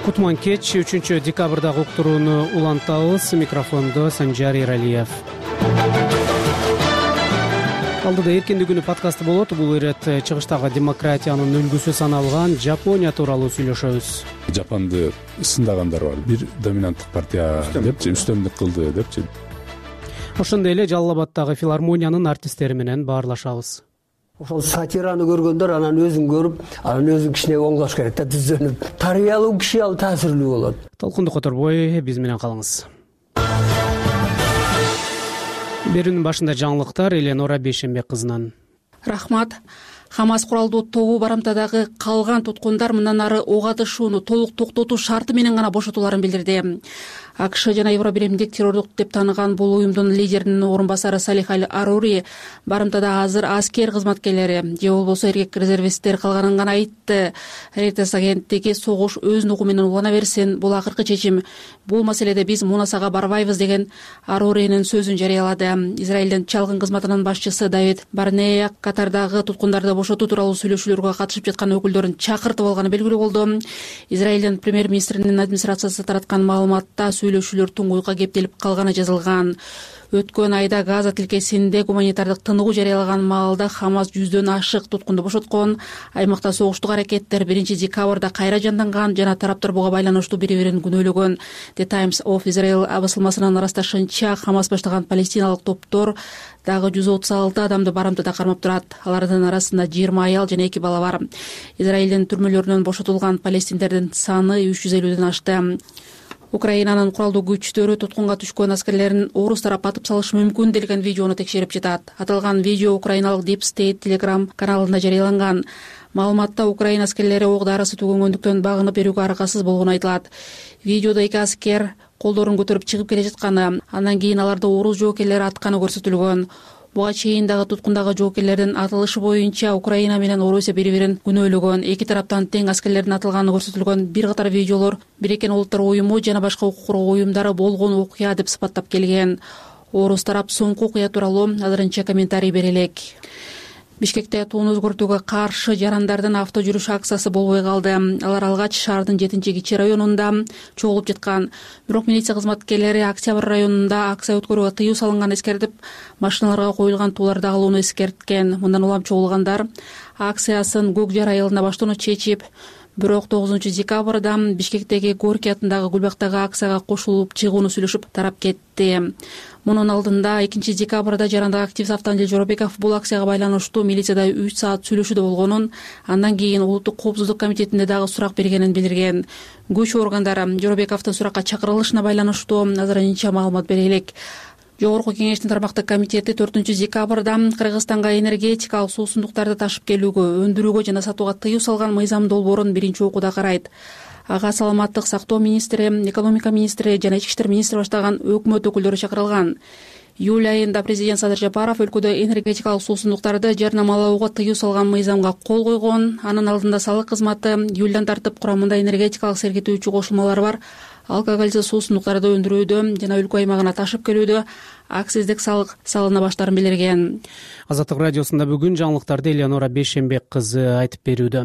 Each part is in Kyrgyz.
Кутман кеч 3 декабрдагы уктурууну улантабыз. Микрофондо Санжар Эралиев. Алдыда эркинди күнү подкасты болот. Бул ирет чыгыштагы демократиянын үлгүсү саналган Жапония тууралуу сүйлөшөбүз. Жапанды сындагандар бар. Бир доминанттык партия депчи, үстөмдүк кылды депчи. Ошондой эле Жалал Абаддагы филармониянын артисттери менен баарлашабыз. Ошол сатираны көргөндөр анан өзүн көрүп, анан өзүн кичине оңдош керек да, түзөнүп. Тарбиялуу киши ал таасирлүү болот. Толкунду которбой, биз менен калыңыз. Берүүнүн башында жаңылыктар Эленора Бейшембек кызынан. Рахмат. Хамас куралдуу тобу барымтадагы калган туткундар мындан ары ок атышууну толук токтотуу шарты менен гана бошотууларын билдирди. АКШ жана Евробиримдик террордук деп тааныган бул уюмдун лидеринин орун басары Салих Аль-Арури барымтада азыр аскер кызматкерлери же болбосо эркек резервисттер калганын гана айтты. Reuters агенттиги согуш өз нугу менен улана берсин, бул акыркы чечим. Бул маселеде биз мунасага барбайбыз деген Аруринин сөзүн жарыялады. Израилдин чалгын кызматынын башчысы Давид Барнея Катардагы туткундарды бошотуу тууралуу сүйлөшүүлөргө катышып жаткан өкүлдөрүн чакыртып алганы белгилүү болду. Израилдин премьер-министринин администрациясы тараткан маалыматта сүйлөшүүлөр туңгуйга кептелип калганы жазылган. Өткөн айда Газа тилкесинде гуманитардык тыныгуу жарыялаган маалда Хамас 100дөн ашык туткунду бошоткон. Аймакта согуштук аракеттер 1 декабрда кайра жанданган жана тараптар буга байланыштуу бири-бирин күнөөлөгөн. The Times of Israel басылмасынын ырасташынча, Хамас баштаган палестиналык топтор дагы 136 адамды барымтада кармап турат. Алардын арасында 20 аял жана 2 бала бар. Израилдин түрмөлөрүнөн бошотулган палестиндердин саны 350ден ашты. Украинанын куралдуу күчтөрү туткунга түшкөн аскерлерин орус тарап атып салышы мүмкүн делген видеону текшерип жатат. Аталган видео украиналык Deep State Telegram каналында жарыяланган. Маалыматта Украина аскерлери ок дарысы түгөнгөндүктөн багынып берүүгө аракасыз болгону айтылат. Видеодо 2 аскер колдорун көтөрүп чыгып келе жатканы, андан кийин аларды орус жоокерлери атканы көрсөтүлгөн. Буга чейин дагы туткундагы жоокерлердин атылышы боюнча Украина менен Орусия бири-бирин күнөөлөгөн. Эки тараптан тең аскерлердин атылганы көрсөтүлгөн бир катар видеолор Бириккен Улуттар уюму жана башка укук коргоо уюмдары болгон окуя деп сыпаттап келген. Орус тарап соңку окуя тууралуу азырынча комментарий бере элек. Бишкекте тууну өзгөртүүгө каршы жарандардын авто жүрүш акциясы болбой калды. Алар алгач шаардын 7-Кичи районунда чогулуп жаткан. Бирок милиция кызматкерлери Октябрь районунда акция өткөрүүгө тыюу салынган эскертип, машиналарга коюлган тууларды алууну эскерткен. Мындан улам чогулгандар акциясын Көк жар айылында баштоону чечип, бирок 9 декабрда Бишкектеги Горький атындагы Гүлбактагы акцияга кошулуп чыгууну сүйлөшүп тарап кетти. Мунун алдында 2 декабрда жарандык активист Автандил Жоробеков бул акцияга байланыштуу милицияда 3 саат сүйлөшүүдө болгонун, андан кийин Улуттук коопсуздук комитетинде дагы сурак бергенин билдирген. Күч органдары Жоробековдун суракка чакырылышына байланыштуу азырынча маалымат бере элек. Жогорку кеңештин тармактык комитети 4 декабрда Кыргызстанга энергетикалык суусундуктарды ташып келүүгө, өндүрүүгө жана сатууга тыюу салган мыйзам долбоорун биринчи окууда карайт. Ага саламаттык сактоо министри, экономика министри жана ички иштер министри баштаган өкмөт өкүлдөрү чакырылган. Июль айында президент Садыр Жапаров өлкөдө энергетикалык суусундуктарды жарнамалоого тыюу салган мыйзамга кол койгон. Анын алдында салык кызматы июлдан тартып курамында энергетикалык сергитүүчү кошулмалар бар алкоголсуз суусундуктарды өндүрүүдө жана өлкө аймагына ташып келүүдө акциздик салык салына баштаарын билдирген. Азаттык радиосунда бүгүн жаңылыктарды Эленора Бейшембек кызы айтып берүүдө.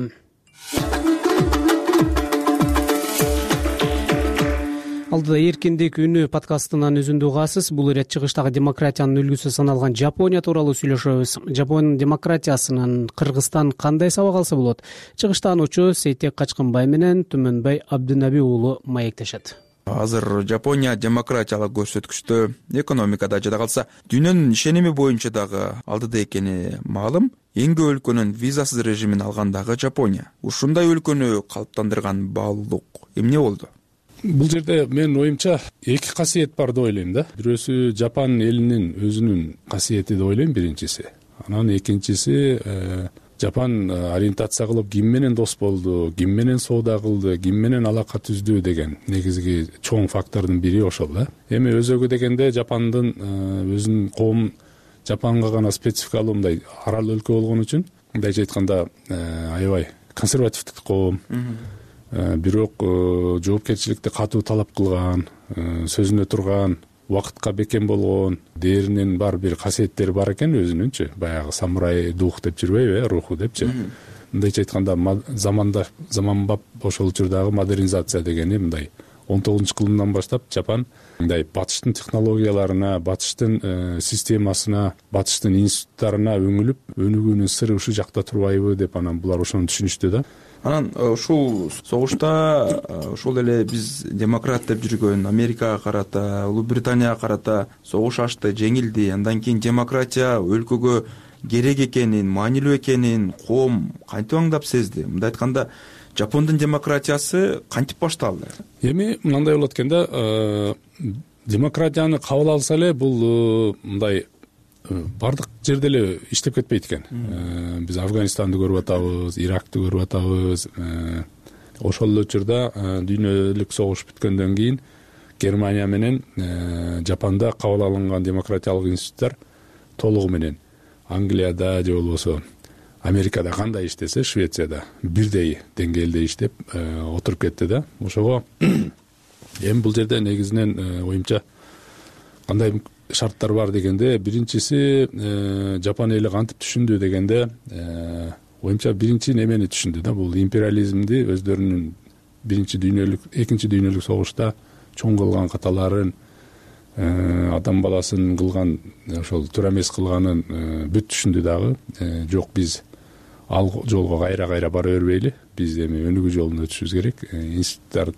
Алдыда эркиндик үнү подкастынан үзүндү угасыз. Бул ирет чыгыштагы демократиянын үлгүсү саналган Жапония тууралуу сүйлөшөбүз. Жапон демократиясынан Кыргызстан кандай сабак алса болот? Чыгыштаануучу Сейтек Качкынбай менен Түмөнбай Абдынаби уулу маектешет. Азыр Жапония демократиялык көрсөткүчтө, экономикада жада калса дүйнөнүн ишеними боюнча дагы алдыда экени маалым. Эң көп өлкөнүн визасыз режимин алган дагы Жапония. Ушундай өлкөнү калыптандырган баалуулук эмне болду? Бул жерде менин оюмча эки касиет бар деп ойлойм да. Бирөөсү Жапан элинин өзүнүн касиети деп ойлойм биринчиси. Анан экинчиси Жапан ориентация кылып ким менен дос болду, ким менен соода кылды, ким менен алака түздү деген негизги чоң фактордун бири ошол да. Эми өзөгү дегенде Жапандын өзүнүн коом Жапанга гана спецификалуу мындай арал өлкө болгон үчүн, мындайча айтканда аябай консервативдик коом. Бирок жоопкерчиликти катуу талап кылган, сөзүнө турган, убакытка бекем болгон, дээринен бар бир касиеттери бар экен өзүнүнчү. Баягы самурай дух деп жүрбөйбү, руху депчи. мындайча айтканда заманбап ошол учурдагы модернизация дегени мындай 19-кылымдан баштап Жапан мындай батыштын технологияларына, батыштын системасына, батыштын институттарына өңүлүп, өнүгүүнүн сыры ушул жакта турбайбы деп анан булар ошону түшүнүштү да. Анан ушул согушта ошол эле биз демократ деп жүргөн Америкага карата, Улуу Британияга карата согуш ачты, жеңилди. Андан кийин демократия өлкөгө керек экенин, маанилүү экенин коом кантип аңдап сезди? Мындай айтканда, Жапондун демократиясы кантип башталды? Эми мындай болот экен да, демократияны кабыл алса эле бул мындай бардык жерде эле иштеп кетпейт экен. Биз Афганистанды көрүп атабыз, Иракты көрүп атабыз. Ошол эле учурда дүйнөлүк согуш бүткөндөн кийин Германия менен Жапанда кабыл алынган демократиялык институттар толугу менен Англияда же болбосо Америкада кандай иштесе, Швецияда бирдей деңгээлде иштеп отуруп кетти да. Ошого эми бул жерде негизинен оюмча кандай шарттар бар дегенде, биринчиси Жапон эли кантип түшүндү дегенде, оюмча биринчи немени түшүндү да, бул империализмди өздөрүнүн экинчи дүйнөлүк согушта чоң кылган каталарын, адам баласын кылган, ошол туура эмес кылганын бүт түшүндү дагы. Жок, биз ал жолго кайра бара бербейли, биз эми өнүгүү жолуна өтүшүбүз керек. Институттар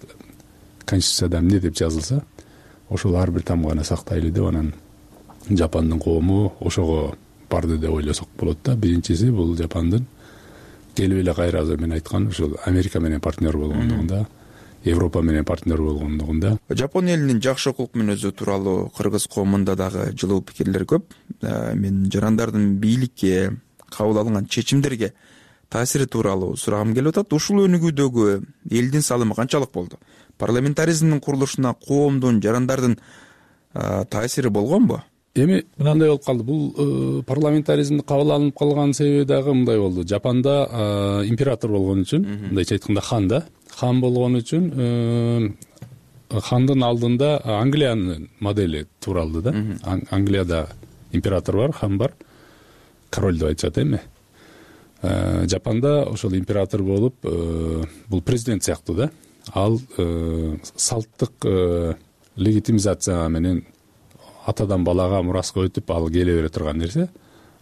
конституцияда эмне деп жазылса, ошол ар бир тамганы сактайлы деп анан Жапондун коому ошого барды деп ойлосок болот да. Биринчиси бул Жапондун келип эле кайра мен айткан ошол Америка менен партнер болгондугунда, Европа менен партнер болгондугунда. Жапон элинин жакшы кулк мүнөзү тууралуу кыргыз коомунда дагы жылуу пикирлер көп. Мен жарандардын бийликке, кабыл алынган чечимдерге таасири тууралуу сурагым келип атат. Ушул өнүгүүдөгү элдин салымы канчалык болду? Парламентаризмдин курулушуна коомдун, жарандардын таасири болгонбу? Эми мындай болуп калды. Бул парламентаризмди кабыл алынып калган себеби дагы мындай болду. Жапанда император болгон үчүн, мындайча айтканда хан болгон үчүн хандын алдында Англиянын модели тууралды да. Англияда император бар, хан бар, король деп айтышат эми. Жапанда ошол император болуп, бул президент сыяктуу да. Ал салттык легитимизация менен атадан балага мураска өтүп ал келе бере турган нерсе.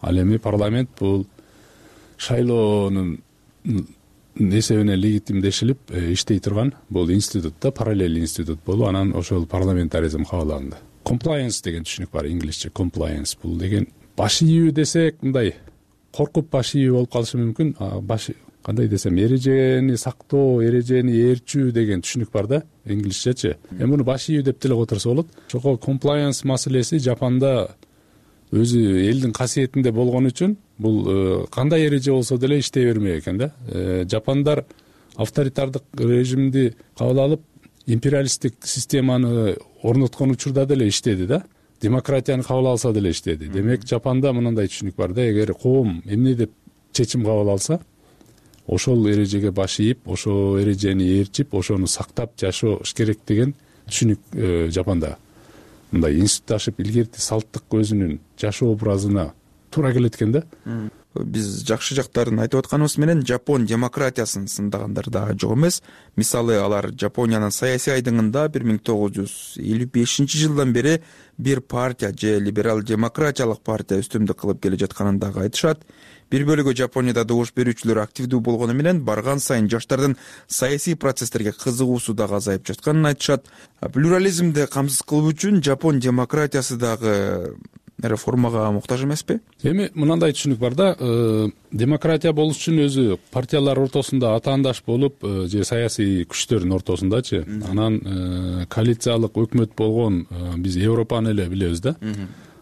Ал эми парламент бул шайлоонун эсебинен легитимдешилип иштей турган бул институт да, параллель институт болуп, анан ошол парламентаризм кабыл алынды. Compliance деген түшүнүк бар, инглисче compliance. Бул деген баш ийүү десек, мындай коркуп баш ийүү болуп калышы мүмкүн. Баш кандай десем, эрежени сактоо, эрежени ээрчүү деген түшүнүк бар да, инглисчечи. Эми муну баш ийүү деп деле которсо болот. Ошого compliance маселеси Жапанда өзү элдин касиетинде болгон үчүн бул кандай эреже болсо деле иштей бермек экен да. Жапандар авторитардык режимди кабыл алып, империалисттик системаны орноткон учурда деле иштеди да. Демократияны кабыл алса деле иштеди. Демек Жапанда мындай түшүнүк бар да, эгер коом эмне деп чечим кабыл алса, ошол эрежеге баш ийип, ошол эрежени ээрчип, ошону сактап жашош керек деген түшүнүк Жапанда. Мындай институтташып, илгерки салттык өзүнүн жашоо образына туура келет экен да. Биз жакшы жактарын айтып атканыбыз менен Жапон демократиясын сындагандар дагы жок эмес. Мисалы, алар Жапониянын саясий айдыңында 1955 жылдан бери бир партия же либерал демократиялык партия үстүмдүк кылып келе жатканын дагы айтышат. Бир бөлүгү Жапонияда добуш берүүчүлөр активдүү болгону менен барган сайын жаштардын саясий процесстерге кызыгуусу дагы азайып жатканын айтышат. Плюрализмди камсыз кылуу үчүн Жапон демократиясы дагы реформага муктаж эмеспи? Эми мындай түшүнүк бар да, демократия болуш үчүн өзү партиялар ортосунда атаандаш болуп, же саясий күчтөрдүн ортосундачы, анан коалициялык өкмөт болгон биз Европаны эле билебиз да.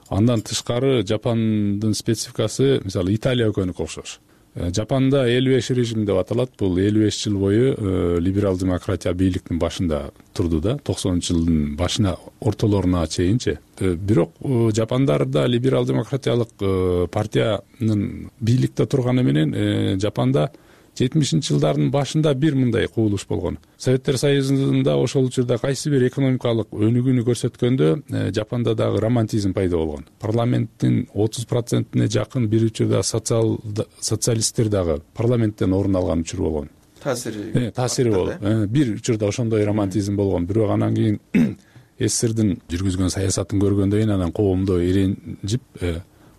Андан тышкары Жапондун спецификасы, мисалы, Италия экөнүкө окшош. Жапанда 55 режим деп аталат. Бул 55 жыл бою либерал демократия бийликтин башында турду да, 90-жылдын башына, ортолоруна чейинчи. Бирок Жапондарда либерал демократиялык партиянын бийликте турганы менен Жапанда жылдардын башында бир мындай кубулуш болгон. Советтер Союзунда ошол учурда кайсы бир экономикалык өнүгүүнү көрсөткөндө Жапанда дагы романтизм пайда болгон. Парламенттин 30%-не жакын бир учурда социалисттер дагы парламенттен орун алган учур болгон. Таасири болуп, бир учурда ошондой романтизм болгон. Бирок анан кийин СССРдин жүргүзгөн саясатын көргөндөн кийин анан коомдо иренжип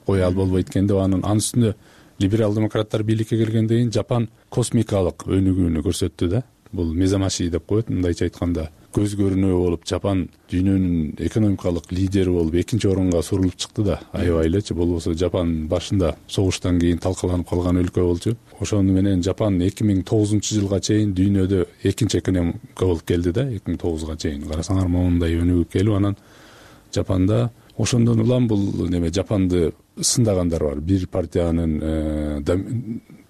кое алып болбойт экен деп анын үстүнө либерал демократтар бийликке келгенден кийин Жапан космикалык өнүгүүнү көрсөттү да. Бул мезамаши деп коет, мындайча айтканда. Көз көрүнүү болуп Жапан дүйнөнүн экономикалык лидери болуп экинчи орунга сурулуп чыкты да. Аябай элечи. Болбосо Жапан башында согуштан кийин талкаланып калган өлкө болчу. Ошону менен Жапан 2009-жылга чейин дүйнөдө экинчи экономика болуп келди да. 2009-га чейин карасаңар моундай өнүгүп келип, анан Жапанда ошондон улам бул Жапанды сындагандар бар. Бир партиянын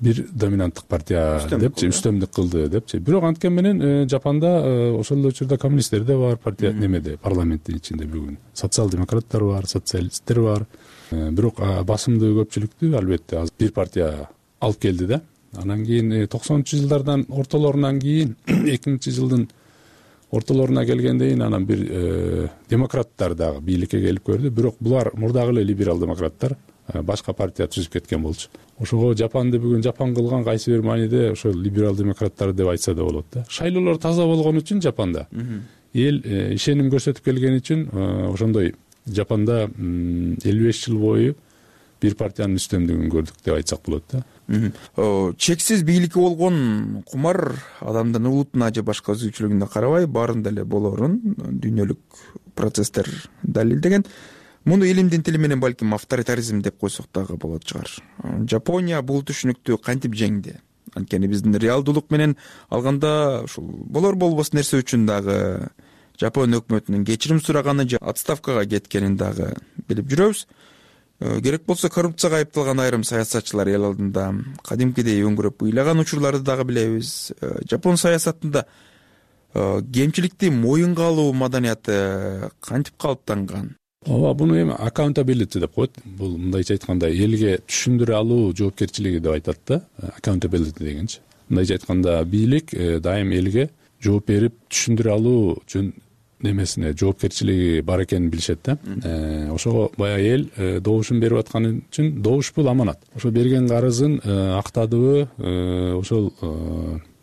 бир доминанттык партия депчи үстөмдүк кылды депчи. Бирок анткени менен Жапанда ошол учурда коммунисттер да бар, партия парламенттин ичинде бүгүн социал-демократтар бар, социалисттер бар. Бирок басымдуу көпчүлүктү албетте бир партия алып келди да. Анан кийин 90-жылдардан ортолорунан кийин 2000-жылдын ортолоруна келгенден кийин анан бир демократтар дагы бийликке келип көрдү. Бирок булар мурдагы эле либерал демократтар башка партия түзүп кеткен болчу. Ошого Жапанды бүгүн Жапан кылган кайсы бир мааниде ошол либерал демократтар деп айтса да болот да. Шайлоолор таза болгон үчүн Жапанда эл ишеним көрсөтүп келген үчүн ошондой Жапанда 55 жыл бою бир партиянын үстөмдүгүн көрдүк деп айтсак болот да. Чексиз бийликке болгон кумар адамдын улутуна же башка өзгөчөлүгүнө карабай баарында эле болорун дүйнөлүк процесстер далилдеген. Муну илимдин тили менен балким авторитаризм деп койсок дагы болот чыгар. Жапония бул түшүнүктү кантип жеңди? Анткени биздин реалдуулук менен алганда ушул болор болбос нерсе үчүн дагы Жапон өкмөтүнүн кечирим сураганы же отставкага кеткенин дагы билип жүрөбүз. Керек болсо коррупцияга айыпталган айрым саясатчылар эл алдында кадимкидей өңгүрөп ыйлаган учурларды дагы билебиз. Жапон саясатында кемчиликти моюнга алуу маданияты кантип калыптанган? Ооба, буну эми accountability деп коет. Бул мындайча айтканда элге түшүндүрө алуу жоопкерчилиги деп айтат да. Accountability дегенчи. Мындайча айтканда бийлик дайым элге жооп берип түшүндүрө алуу үчүн немесине жоопкерчилиги бар экенин билишет да. Ошого баягы эл добушун берип атканы үчүн добуш бул аманат. Ошо берген карызын актадыбы, ошол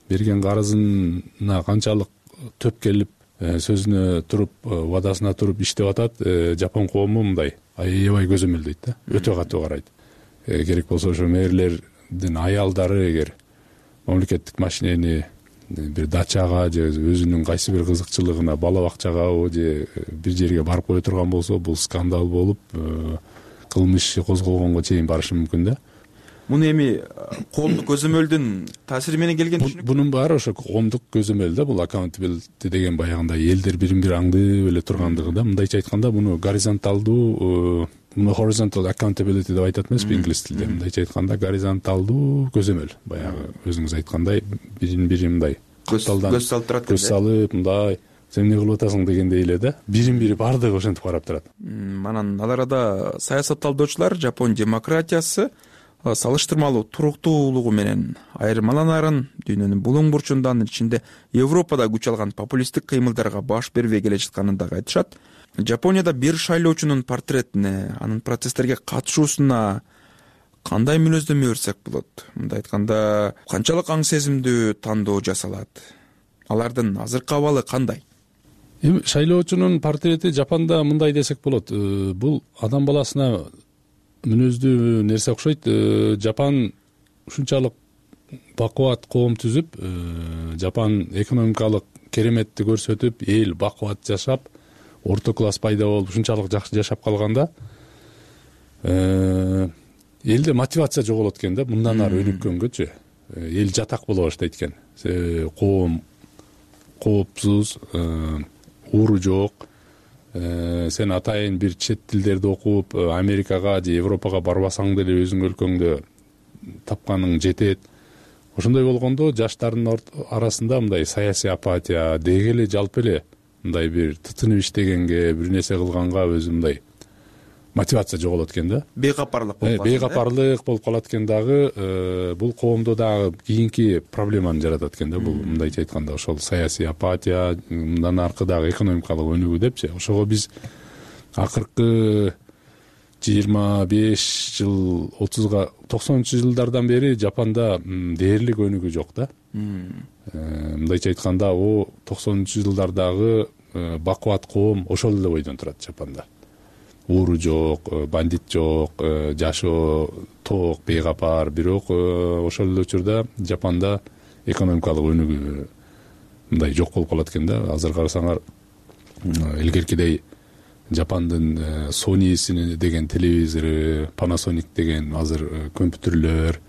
берген карызына канчалык төп келип сөзүнө туруп, вадасына туруп иштеп атат, Жапон коому мындай аябай көзөмөлдөйт да. Өтө катуу карайт. Керек болсо ошо мэрлердин аялдары эгер мамлекеттик машинени бир дачага же өзүнүн кайсы бир кызыкчылыгына бала бакчагабы же бир жерге барып кое турган болсо, бул скандал болуп, кылмыш козголгонго чейин барышы мүмкүн да. Муну эми коомдук көзөмөлдүн таасири менен келген түшүнүк. Бунун баары ошо коомдук көзөмөл да. Бул accountability деген баягындай элдер бирин бири аңдып эле тургандыгы да. Мындайча айтканда буну горизонталдуу, муну horizontal accountability деп айтат эмеспи инглиз тилинде. Мындайча айтканда горизонталдуу көзөмөл. Баягы өзүңүз айткандай бирин бири мындай көз салып турат. Көз салып мындай сен эмне кылып атасың дегендей эле да. Бирин бири баардыгы ошентип карап турат. Анан ал арада саясат талдоочулар Жапон демократиясы салыштырмалуу туруктуулугу менен айырмаланарын, дүйнөнүн булуң бурчунда, анын ичинде Европада күч алган популисттик кыймылдарга баш бербей келе жатканын дагы айтышат. Жапонияда бир шайлоочунун портретине, анын процесстерге катышуусуна кандай мүнөздөмө берсек болот? Мындай айтканда, канчалык аң сезимдүү тандоо жасалат? Алардын азыркы абалы кандай? Эми шайлоочунун портрети Жапанда мындай десек болот. Бул адам баласына мүнөздүү нерсе окшойт. Жапан ушунчалык бакубат коом түзүп, Жапан экономикалык кереметти көрсөтүп, эл бакубат жашап, орто класс пайда болуп, ушунчалык жакшы жашап калганда элде мотивация жоголот экен да, мындан ары өнүккөнгөчү. Эл жатак боло баштайт экен. Коом коопсуз, ууру жок. Сен атайын бир чет тилдерди окуп, Америкага же Европага барбасаң деле өзүң өлкөңдө тапканың жетет. Ошондой болгондо жаштардын арасында мындай саясий апатия, дегеле жалпы эле мындай бир тытынып иштегенге, бир нерсе кылганга өзү мындай мотивация жоголот экен да, бейкапарлык болуп калат. Бейкапарлык болуп калат экен дагы, бул коомдо дагы кийинки проблеманы жаратат экен да. Бул мындайча айтканда ошол саясий апатия, мындан аркы дагы экономикалык өнүгүү депчи. Ошого биз акыркы 25 жыл 30га 90-жылдардан бери Жапанда дээрлик өнүгүү жок да. Мындайча айтканда, 90-жылдардагы бакубат коом ошол эле бойдон турат Жапанда. Ууру жок, бандит жок, жашоо тоок, бейкапар. Бирок ошол эле учурда Жапанда экономикалык өнүгүү мындай жок болуп калат экен да. Азыр карасаңар, илгеркидей Жапандын Sony деген телевизору, Panasonic деген азыр компьютерлөр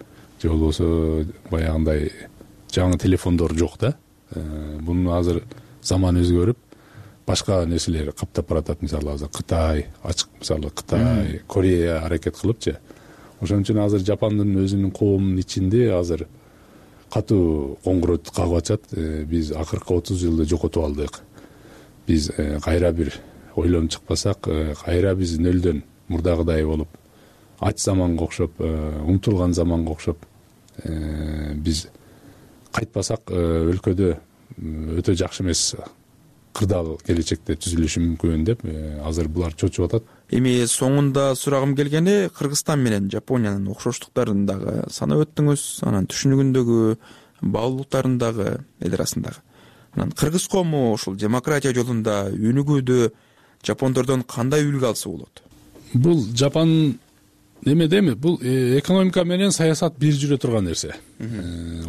же болбосо баягындай жаңы телефондор жок да. Бунун азыр заман өзгөрүп, башка нерселер каптап баратат. Мисалы азыр Кытай, ачык мисалы Кытай, Корея аракет кылыпчы. Ошон үчүн азыр Жапандын өзүнүн коомунун ичинде азыр катуу коңгуроо кагып атышат. Биз акыркы 30 жылды жокотуп алдык. Биз кайра бир ойлонуп чыкпасак, кайра биз нөлдөн мурдагыдай болуп, ач заманга окшоп, умтулган заманга окшоп биз кайтпасак, өлкөдө өтө жакшы эмес кырдаал келечекте түзүлүшү мүмкүн деп азыр булар чочуп атат. Эми соңунда сурагым келгени, Кыргызстан менен Жапониянын окшоштуктарын дагы санап өттүңүз, анан түшүнүгүндөгү баалуулуктарын дагы эл арасындагы. Анан кыргыз коому ушул демократия жолунда өнүгүүдө жапондордон кандай үлгү алса болот? Бул Жапан немедеми? Бул экономика менен саясат бир жүрө турган нерсе.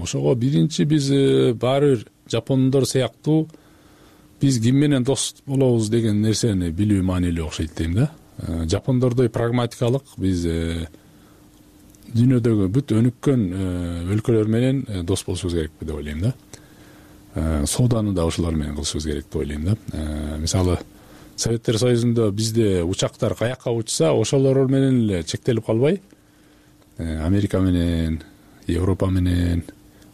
Ошого биринчи биз баары бир жапондор сыяктуу биз ким менен дос болобуз деген нерсени билүү маанилүү окшойт дейм да. Жапондордой прагматикалык биз дүйнөдөгү бүт өнүккөн өлкөлөр менен дос болушубуз керек деп ойлойм да. Сооданы да ошолор менен кылышыбыз керек деп ойлойм да. Мисалы Советтер Союзунда бизде учактар каякка учса, ошолор менен эле чектелип калбай, Америка менен, Европа менен,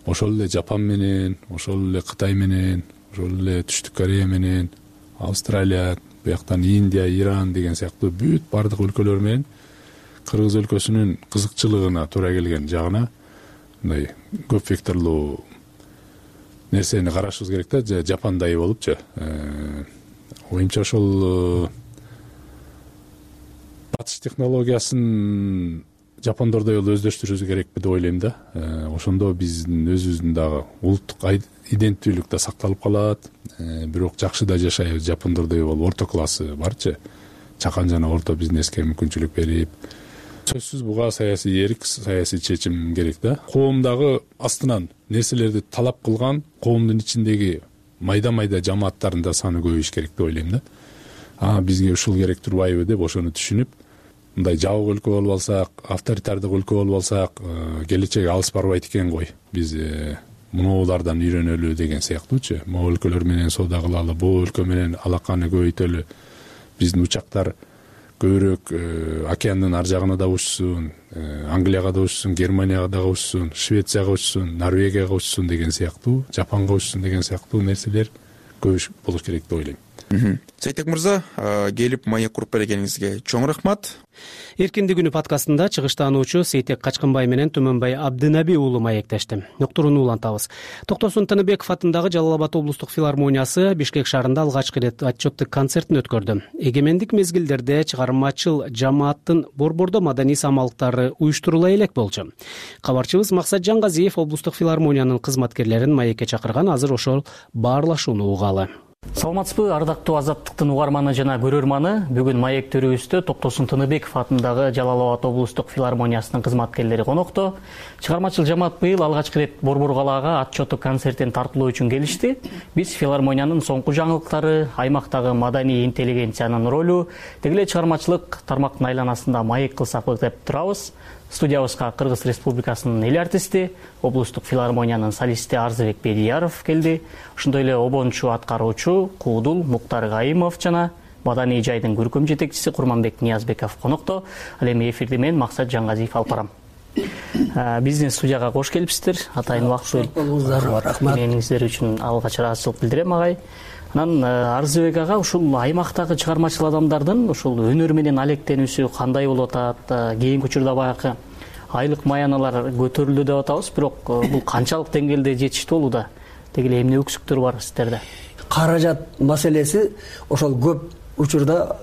ошол эле Жапан менен, ошол эле Кытай менен, ошол эле Түштүк Корея менен, Австралия, бияктан Индия, Иран деген сыяктуу бүт бардык өлкөлөр менен кыргыз өлкөсүнүн кызыкчылыгына туура келген жагына мындай көп векторлуу нерсени карашыбыз керек да, Жапандай болупчу. Оюмча ошол батыш технологиясын жапондордой эле өздөштүрүүбүз керек деп ойлойм да. Ошондо биздин өзүбүздүн дагы улуттук иденттүүлүк да сакталып калат. Бирок жакшы да жашайбыз, жапондордой болуп орто классы барчы. Чакан жана орто бизнеске мүмкүнчүлүк берип, сөзсүз буга саясий эрк, саясий чечим керек да. Коом дагы астынан нерселерди талап кылган коомдун ичиндеги майда жамааттарында саны көбөйүш керек деп ойлойм да. Бизге ушул керек турбайбы деп ошону түшүнүп, мындай жабык өлкө болуп алсак, авторитардык өлкө болуп алсак, келечеги алыс барбайт экен ғой. Биз мунулардан үйрөнөлү деген сыяктуучу. Могу өлкөлөр менен соода кылалы, бул өлкө менен алаканы көбөйтөлү. Биздин учактар көбүрөөк океандын ар жагына да учсун, Англияга да учсун, Германияга да учсун, Швецияга учсун, Норвегияга учсун деген сыяктуу, Жапанга учсун деген сыяктуу нерселер көп болуш керек деп ойлойм. Сейтек мырза, келип маек куруп бергениңизге чоң рахмат. Эркиндик күнү подкастында чыгыштаануучу Сейтек Качкынбай менен Төмөнбай Абдынаби уулу маектешти. Уктурууну улантабыз. Токтосун Тыныбеков атындагы Жалал Абад облустук филармониясы Бишкек шаарында алгачкы ирет отчеттик концертин өткөрдү. Эгемендик мезгилдерде чыгармачыл жамааттын борбордо маданий самалыктары уюштурула элек болчу. Кабарчыбыз Максат Жангазиев облустук филармониянын кызматкерлерин маекке чакырган, азыр ошол баарлашууну угалы. Саламатсызбы, ардактуу Азаттыктын угарманы жана көрөрманы. Бүгүн маек төрүбүздө Токтосун Тыныбеков атындагы Жалал Абад облустук филармониясынын кызматкерлери конокто. Чыгармачыл жамаат быйыл алгачкы ирет Борбор калаага отчеттик концертин тартуулоо үчүн келишти. Биз филармониянын соңку жаңылыктары, аймактагы маданий интеллигенциянын ролу, тегиле чыгармачылык тармактын айланасында маек кылсак деп турабыз. Студиябызга Кыргыз Республикасынын эл артисти, облустук филармониянын солисти Арзыбек Бедияров келди. Ошондой эле обончу аткаруучу Куудул Муктар Гаимов жана маданий жайдын көркөм жетекчиси Курманбек Ниязбеков конокто. Ал эми эфирди мен Максат Жангазиев алып барам. Биздин студияга кош келипсиздер. Атайын убакыт бөлүп рахмат. Эмгегиңиздер үчүн алгач ыраазычылык билдирем, агай. Анан Арзыбек ага ушул аймактагы чыгармачыл адамдардын ушул өнөр менен алектенүүсү кандай болуп атат? Кийинки учурда баягы айлык маяналар көтөрүлдү деп атабыз, бирок бул канчалык деңгээлде жетиштүү болууда? Деги эле эмне өксүктөр бар сиздерде? Каражат маселеси ошол көп учурда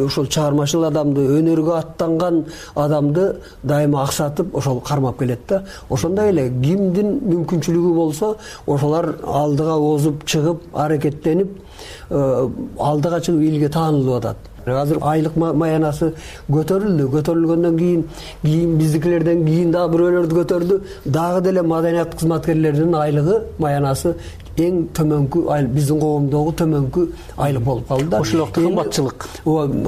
ошол чыгармачыл адамды, өнөргө аттанган адамды дайыма аксатып ошол кармап келет да. Ошондой эле кимдин мүмкүнчүлүгү болсо ошолар алдыга озуп чыгып, аракеттенип, алдыга чыгып элге таанылып атат. Азыр айлык маянасы көтөрүлгөндөн кийин биздикилерден кийин дагы бирөөлөрдү көтөрдү. Дагы деле маданият кызматкерлеринин айлыгы, маянасы эң төмөнкү биздин коомдогу төмөнкү айлык болуп калды да. Ошол убакта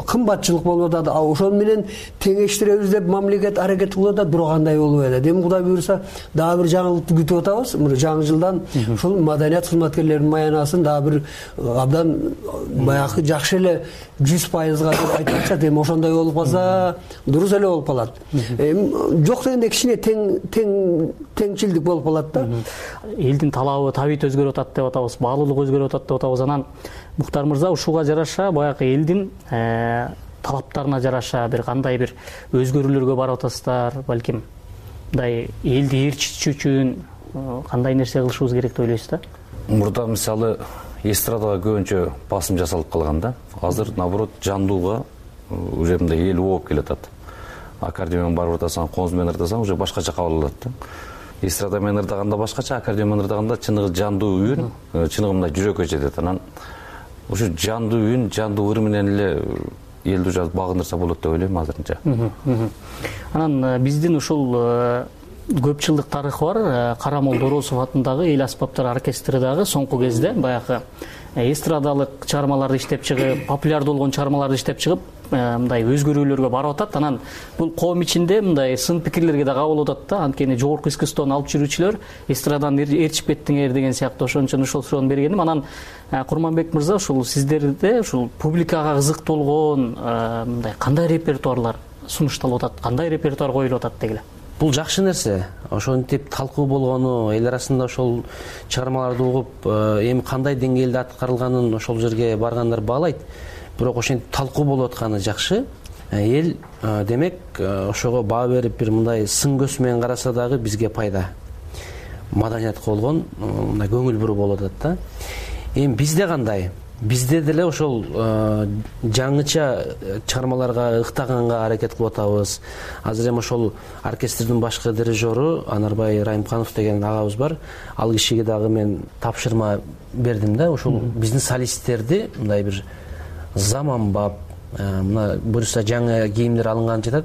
кымбатчылык болуп атат. Ошону менен теңештиребиз деп мамлекет аракет кылып атат, бирок андай болбой атат. Эми Кудай буюрса дагы бир жаңылыкты күтүп атабыз. Жаңы жылдан ушул маданият кызматкерлеринин маянасын дагы бир абдан баягы жакшы эле 100% деп айтып атышат. Эми ошондой болуп калса дурус эле болуп калат. Эми жок дегенде кичине теңчилдик болуп калат да. Элдин талабы табит өзгөрүп атат деп атабыз, баалуулук өзгөрүп атат деп атабыз. Анан Муктар мырза ушуга жараша баягы элдин талаптарына жараша бир кандай бир өзгөрүүлөргө барып атасыздар, балким мындай элди ээрчитүү үчүн кандай нерсе кылышыбыз керек деп ойлойсуз да? Мурда мисалы эстрадага көбүнчө басым жасалып калган да. Азыр наоборот жандууга уже мындай эл ооп келатат. Аккордеон менен барып атасаң, коз менен ырдасаң уже башкача кабыл алат да. Эстрада менен ырдаганда башкача, аккордеон менен ырдаганда чыныгы жандуу үн, чыныгы мындай жүрөккө жетет. Анан ушу жандуу үн, жандуу ыр менен эле элди уже багындырса болот деп ойлойм азырынча. Анан биздин ушул көп жылдык тарыхы бар Карамол Доросов атындагы эл аспаптар оркестри дагы соңку кезде баягы эстрадалык чыгармаларды иштеп чыгып, популярдуу болгон чыгармаларды иштеп чыгып, мындай өзгөрүүлөргө барып атат. Анан бул коом ичинде мындай сын пикирлерге да кабыл болуп атат да. Анткени жогорку искусствону алып жүрүүчүлөр эстрадан ээрчип кеттиңер деген сыяктуу ошон үчүн ушул суроону бергеним. Анан Курманбек мырза, ушул сиздерде ушул публикага кызыктуу болгон мындай кандай репертуарлар сунушталып атат, кандай репертуар коюлуп атат дегиле? Бул жакшы нерсе. Ошентип талкуу болгону, эл арасында ошол чыгармаларды угуп, эми кандай деңгээлде аткарылганын ошол жерге баргандар баалайт. Бирок ошентип талкуу болуп атканы жакшы. Эл демек ошого баа берип бир мындай сын көз менен караса дагы бизге пайда. Маданиятка болгон мындай көңүл буруу болуп атат да. Эми бизде кандай? Бизде деле ошол жаңыча чыгармаларга ыктаганга аракет кылып атабыз. Азыр эми ошол оркестрдин башкы дирижеру Анарбай Райымканов деген агабыз бар. Ал кишиге дагы мен тапшырма бердим да. Ошол биздин солисттерди мындай бир заманбап, мына буюрса жаңы кийимдер алынган жатат.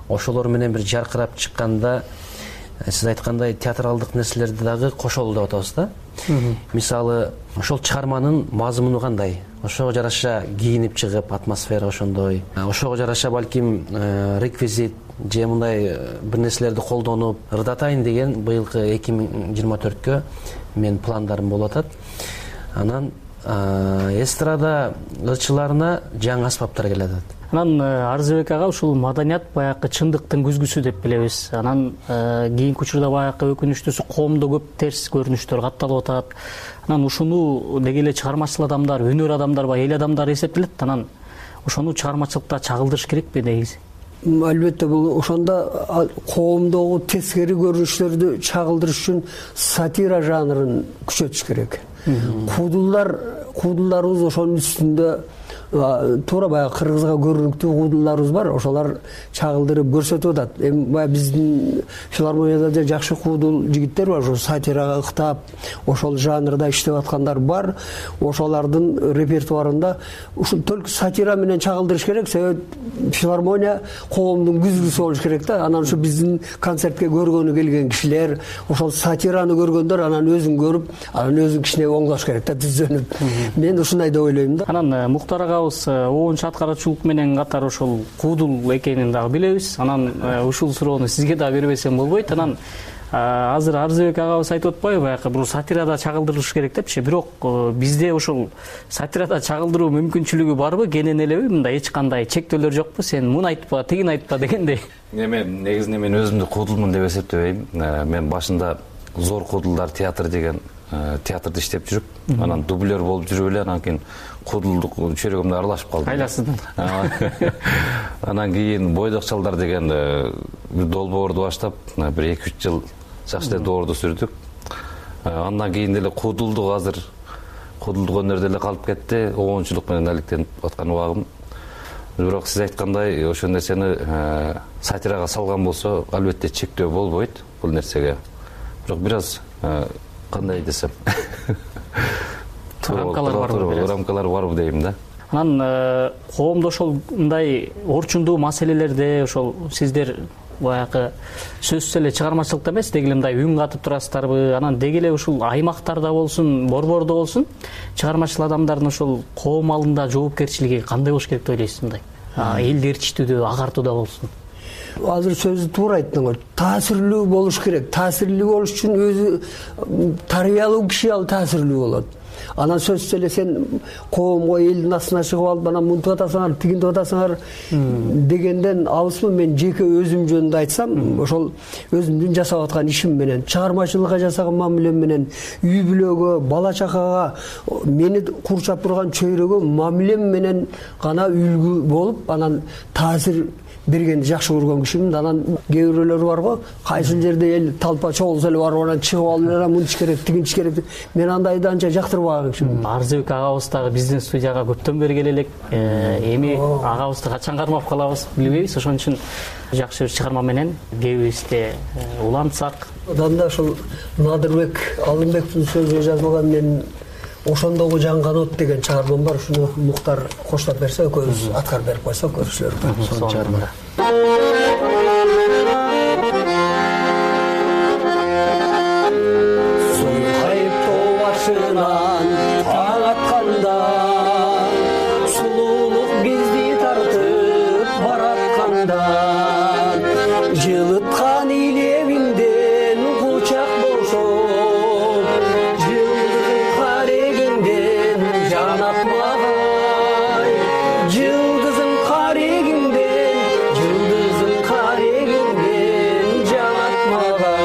Ошолор менен бир жаркырап чыкканда, сиз айткандай театралдык нерселерди дагы кошолу деп атабыз да. Мисалы, ошол чыгарманын мазмуну кандай? Ошого жараша кийинип чыгып, атмосфера ошондой. Ошого жараша балким реквизит же мындай бир нерселерди колдонуп ырдатайын деген быйылкы 2024кө мен пландарым болуп атат. Анан эстрада ырчыларына жаңы аспаптар келе атат. Анан Арзыбек ага ушул маданият баягы чындыктын күзгүсү деп билебиз. Анан кийинки учурда баягы өкүнүчтүүсү коомдо көп терс көрүнүштөр катталып атат. Анан ушуну деги эле чыгармачыл адамдар, өнөр адамдар, эл адамдары эсептелет. Анан ошону чыгармачылыкта чагылдырыш керекпи негизи? Албетте бул ошондо коомдогу тескери көрүнүштөрдү чагылдырыш үчүн сатира жанрын күчөтүш керек. Куудулдарыбыз ошонун үстүндө туура баягы кыргызга көрүнүктүү куудулдарыбыз бар, ошолар чагылдырып көрсөтүп атат. Эми баягы биздин филармонияда жакшы куудул жигиттер бар, ошо сатирага ыктап, ошол жанрда иштеп аткандар бар. Ошолордун репертуарында ушул только сатира менен чагылдырыш керек, себеби филармония коомдун күзгүсү болуш керек да. Анан ушу биздин концертке көргөнү келген кишилер ошол сатираны көргөндөр анан өзүн көрүп, анан өзүн кичине оңдош керек да, түзөнүп. Мен ушундай деп ойлойм да. Анан Муктар агабыз оончу аткаруучулук менен катар ошол куудул экенин дагы билебиз. Анан ушул суроону сизге да бербесем болбойт. Анан азыр Арзыбек агабыз айтып атпайбы, баягы бул сатирада чагылдырылыш керек депчи. Бирок бизде ошол сатирада чагылдыруу мүмкүнчүлүгү барбы, кенен элеби? Мындай эч кандай чектөөлөр жокпу? Сен муну айтпа, тигин айтпа дегендей. Мен негизинен мен өзүмдү куудулмун деп эсептебейм. Мен башында Зор куудулдар театр деген театрда иштеп жүрүп анан дублер болуп жүрүп эле анан кийин куудулдук чөйрөгөмдө аралашып калдым. Айласыздын. Анан кийин бойдок чалдар деген бир долбоорду баштап бир 2-3 жыл жакшы эле доордо сүрдүк. Андан кийин деле куудулдук азыр куудулдук өнөрдө эле калып кетти. Оончулук менен алектенип аткан убагым. Бирок сиз айткандай ошол нерсени сатирага салган болсо албетте чектөө болбойт бул нерсеге. Бирок бир аз кандай десем рамкалар барбы дейм да. Анан коомдо ошол мындай орчундуу маселелерде ошол сиздер баягы сөзсүз эле чыгармачылыкта эмес деги эле мындай үн катып турасыздарбы? Анан деги эле ушул аймактарда болсун, борбордо болсун чыгармачыл адамдардын ошол коом алдында жоопкерчилиги кандай болуш керек деп ойлойсуз мындай? Элди ээрчитүүдө, агартууда болсун. Азыр сөзү туура айттыңыз. Таасирлүү болуш керек. Таасирлүү болуш үчүн өзү тарбиялуу киши ал таасирлүү болот. Анан сөзсүз эле сен коомго элдин астына чыгып алып анан мынтип атасыңар, тигинтип атасыңар дегенден алысмын. Мен жеке өзүм жөнүндө айтсам, ошол өзүмдүн жасап аткан ишим менен, чыгармачылыкка жасаган мамилем менен, үй бүлөгө, бала чакага, мени курчап турган чөйрөгө мамилем менен гана үлгү болуп, анан таасир бергенди жакшы көргөн кишимин. Анан кээ бирөөлөр барго, кайсыл жерде эл талпа чогулса эле барып анан чыгып алып эле мынтиш керек, тигинтиш керек. Мен андайды анча жактырбаган кишимин. Арзыбек агабыз дагы биздин студияга көптөн бери келе элек. Эми агабызды качан кармап калабыз билбейбиз. Ошон үчүн жакшы бир чыгарма менен кебибизде улантсак. Одан да ошол Надырбек Алымбековдун сөзү жазылган мен ошондогу жанган от деген чыгармам бар. Ушуну Муктар коштоп берсе, экөөбүз аткарып берип койсок көрүшүлөр. Сол чыгармада. Сойкайып тоо башынан таң атканда, сулуулук бизди тартып баратканда, жылыткан илебиңден кучак бошоп, жылдыздын карегиңден жан атмагай, жылдыздын карегиңден жан атмагай.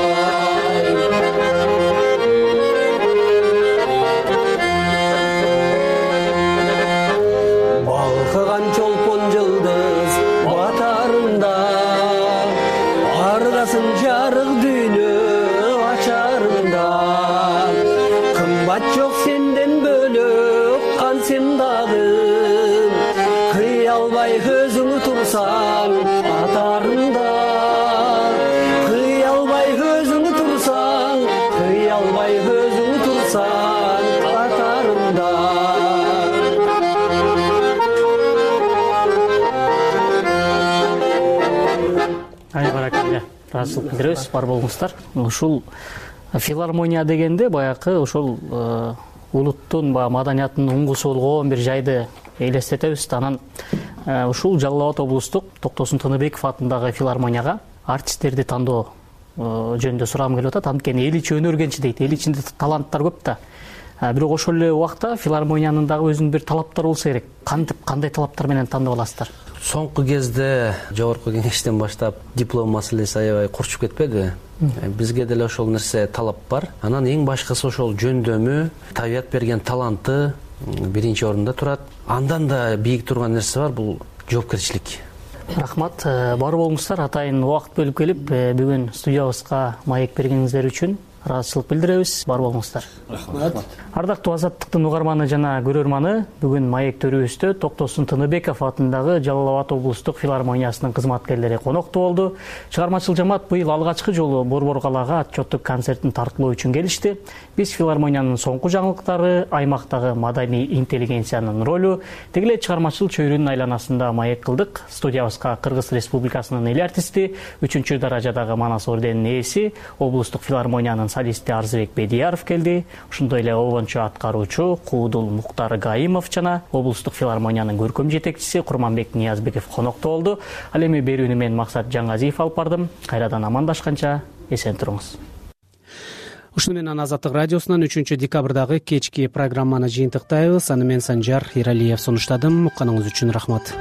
Балкыган чолпон жылдыз батарында, ардасын жарык дүйнө ачарында, кымбат жок сенден бөлөк кан сен дагы, кый албай өзүң турсаң атарында, кый албай өзүң турсаң, кый албай өзүң турсаң атарында. Ай баракалла. Ыраазычылык билдиребиз, бар болуңуздар. Ушул филармония дегенде баягы ошол улуттун маданияттын уңгусу болгон бир жайды элестетебиз. Анан ушул Жалал Абад облустук Токтосун Тыныбеков атындагы филармонияга артисттерди тандоо жөнүндө сурагым келип атат. Анткени эл ичи өнөргенчи дейт, эл ичинде таланттар көп да. Бирок ошол эле убакта филармониянын дагы өзүнүн бир талаптары болсо керек. Кандай талаптар менен тандап аласыздар? Соңку кезде жогорку кеңештен баштап диплом маселеси аябай курчуп кетпеди. Бизге деле ошол нерсе талап бар. Анан эң башкысы ошол жөндөмү, табият берген таланты биринчи орунда турат. Андан да бийик турган нерсе бар, бул жоопкерчилик. Рахмат. Бар болуңуздар. Атайын убакыт бөлүп келип бүгүн студиябызга маек бергениңиздер үчүн ыраазычылык билдиребиз. Бар болуңуздар. Рахмат. Ардактуу Азаттыктын угарманы жана көрөрманы, бүгүн маек төрүбүздө Токтосун Тыныбеков атындагы Жалал Абад облустук филармониясынын кызматкерлери коноктуу болду. Чыгармачыл жамаат быйыл алгачкы жолу Борбор калаага отчеттук концертин тарткылоо үчүн келишти. Биз филармониянын соңку жаңылыктары, аймактагы маданий интеллигенциянын ролу, деги эле чыгармачыл чөйрөнүн айланасында маек кылдык. Студиябызга Кыргыз Республикасынын эл артисти, 3-чү даражадагы Манас орденинин ээси, облустук филармониянын солисти Арзыбек Бедияров келди. Ошондой эле обончу аткаруучу Куудул Муктар Гаимов жана облустук филармониянын көркөм жетекчиси Курманбек Ниязбеков коноктуу болду. Ал эми берүүнү мен Максат Жаңгазиев алып бардым. Кайрадан амандашканча эсен туруңуз. Ушуну менен Азаттык радиосунан 3-декабрдагы кечки программаны жыйынтыктайбыз. Аны мен Санжар Иралиев сунуштадым. Укканыңыз үчүн рахмат.